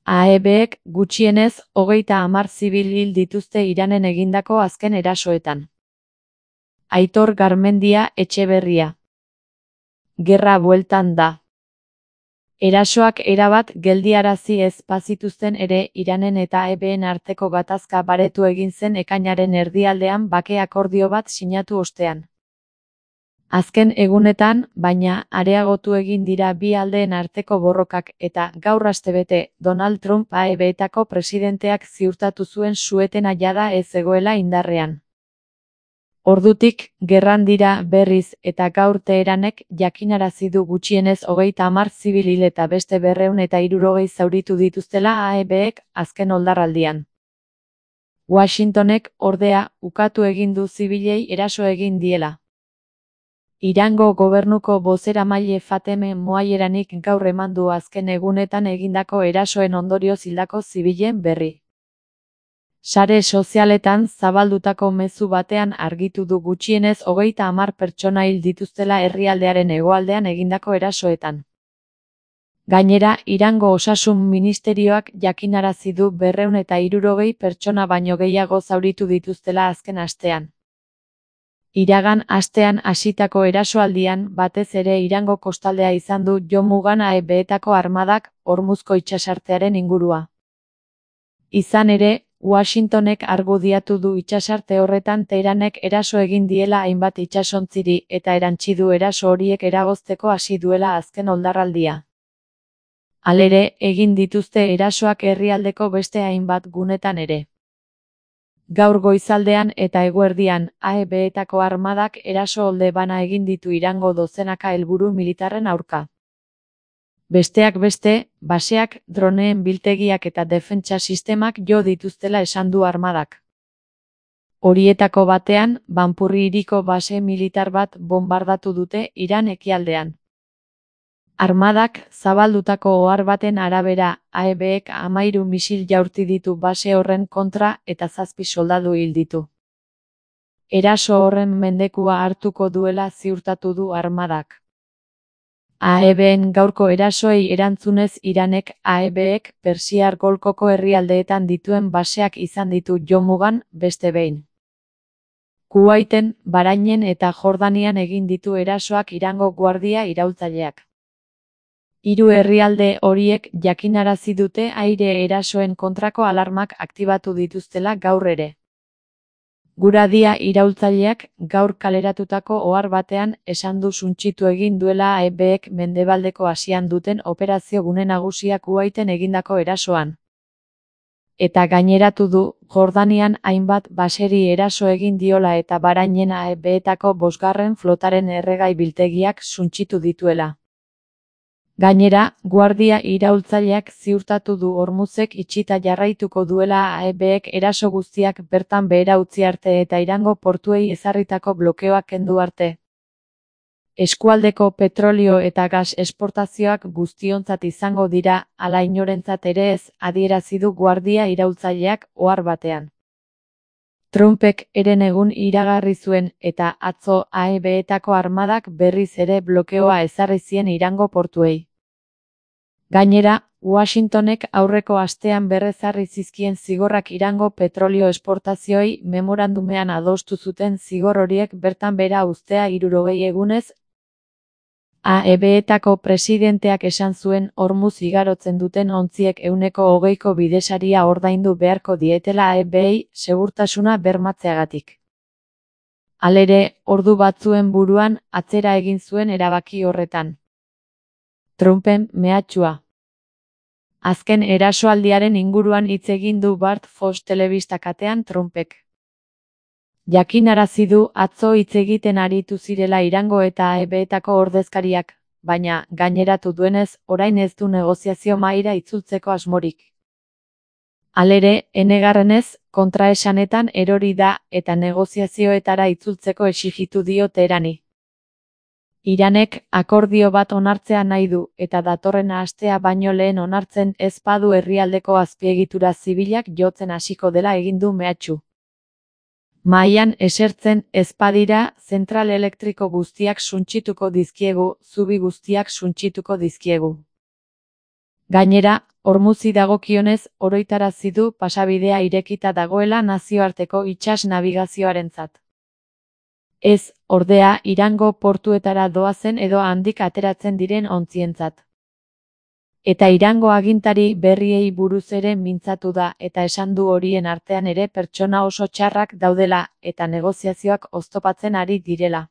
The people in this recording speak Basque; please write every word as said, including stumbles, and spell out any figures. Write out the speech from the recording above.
A E Bek gutxienez hogeita hamar zibil hil dituzte Iranen egindako azken erasoetan. Aitor Garmendia Etxeberria. Gerra bueltan da. Erasoak erabat geldiarazi ez bazituzten ere Iranen eta A E Been arteko gatazka baretu egin zen ekainaren erdialdean bake akordio bat sinatu ostean. Azken egunetan, baina, areagotu egin dira bi aldeen arteko borrokak eta, gaur astebete, Donald Trump A E Betako presidenteak ziurtatu zuen su-etena jada ez zegoela indarrean. Ordutik, gerran dira berriz eta gaur Teheranek jakinarazi du gutxienez hogeita hamar zibil hil eta beste berrehun eta hirurogei zauritu dituztela A E Bek azken oldarraldian. Washingtonek, ordea, ukatu egin du zibilei eraso egin diela. Irango gobernuko bozeramaile Fateme Moalleranik gaur eman du azken egunetan egindako erasoen ondorioz hildako zibilen berri. Sare sozialetan zabaldutako mezu batean argitu du gutxienez hogeita hamar pertsona hil dituztela herrialdearen hegoaldean egindako erasoetan. Gainera, Irango osasun ministerioak jakinarazi du berrehun eta hirurogei pertsona baino gehiago zauritu dituztela azken astean. Iragan astean hasitako erasoaldian batez ere Irango kostaldea izan du jo mugan A E Betako armadak Hormuzko itsasartearen ingurua. Izan ere, Washingtonek argudiatu du itsasarte horretan Teheranek eraso egin diela hainbat itsasontziri eta erantsi du eraso horiek eragozteko hasi duela azken oldarraldia. Halere, egin dituzte erasoak herrialdeko beste hainbat gunetan ere. Gaur goizaldean eta eguerdian, A E Betako armadak eraso olde bana egin ditu Irango dozenaka helburu militarren aurka. Besteak beste, baseak, droneen biltegiak eta defentsa sistemak jo dituztela esan du armadak. Horietako batean, Banpurri hiriko base militar bat bonbardatu dute Iran ekialdean. Armadak, zabaldutako ohar baten arabera, A E Bek hamahiru misil jaurti ditu base horren kontra eta zazpi soldadu hil ditu. Eraso horren mendekua hartuko duela ziurtatu du armadak. A E Been gaurko erasoei erantzunez Iranek A E Bek Persiar golkoko herrialdeetan dituen baseak izan ditu jo mugan beste behin. Kuwaiten, Bahrainen eta Jordanian egin ditu erasoak Irango guardia iraultzaileak. Hiru herrialde horiek jakinarazi dute aire erasoen kontrako alarmak aktibatu dituztela gaur ere. Guradia iraultzaileak gaur kaleratutako ohar batean esan du suntsitu egin duela A E Bek Mendebaldeko Asian duten operazio gune nagusia Kuwaiten egindako erasoan. Eta gaineratu du, Jordanian hainbat baseri eraso egin diola eta Bahrainen A E Betako bosgarren flotaren erregai biltegiak suntsitu dituela. Gainera, guardia iraultzaileak ziurtatu du Hormuzek itxita jarraituko duela A E Bek eraso guztiak bertan behera utzi arte eta Irango portuei ezarritako blokeoak kendu arte. Eskualdeko petrolio eta gas esportazioak guztiontzat izango dira, ala inorentzat ere ez, adierazi du guardia iraultzaileak ohar batean. Trumpek eren egun iragarri zuen eta atzo A E Betako armadak berriz ere blokeoa ezarri zien Irango portuei. Gainera, Washingtonek aurreko astean berrezarri zizkien zigorrak Irango petrolio esportazioei memorandumean adostu zuten zigor horiek bertan behera uztea hirurogei egunez. A E Betako presidenteak esan zuen Hormuz igarotzen duten ontziek ehuneko hogeiko bidesaria ordaindu beharko dietela A E Bei segurtasuna bermatzeagatik. Halere, ordu batzuen buruan atzera egin zuen erabaki horretan. Trumpen mehatxua. Azken erasoaldiaren inguruan hitz egin du Bart Fox telebista katean Trumpek. Jakinarazi du atzo hitz egiten aritu zirela Irango eta A E Betako ordezkariak, baina, gaineratu duenez, orain ez du negoziazio mahaira itzultzeko asmorik. Halere, enegarrenez, kontraesanetan erori da eta negoziazioetara itzultzeko exijitu dio Teherani. Iranek akordio bat onartzea nahi du eta datorren astea baino lehen onartzen ez badu herrialdeko azpiegitura zibilak jotzen hasiko dela egin du mehatxu. Mahaian esertzen ez badira, zentral elektriko guztiak suntsituko dizkiegu, zubi guztiak suntsituko dizkiegu. Gainera, Hormuzi dagokionez, oroitarazi du pasabidea irekita dagoela nazioarteko itsas nabigazioarentzat. Ez, ordea, Irango portuetara doazen edo handik ateratzen diren ontzientzat. Eta Irango agintari berriei buruz ere mintzatu da, eta esan du horien artean ere pertsona oso txarrak daudela, eta negoziazioak oztopatzen ari direla.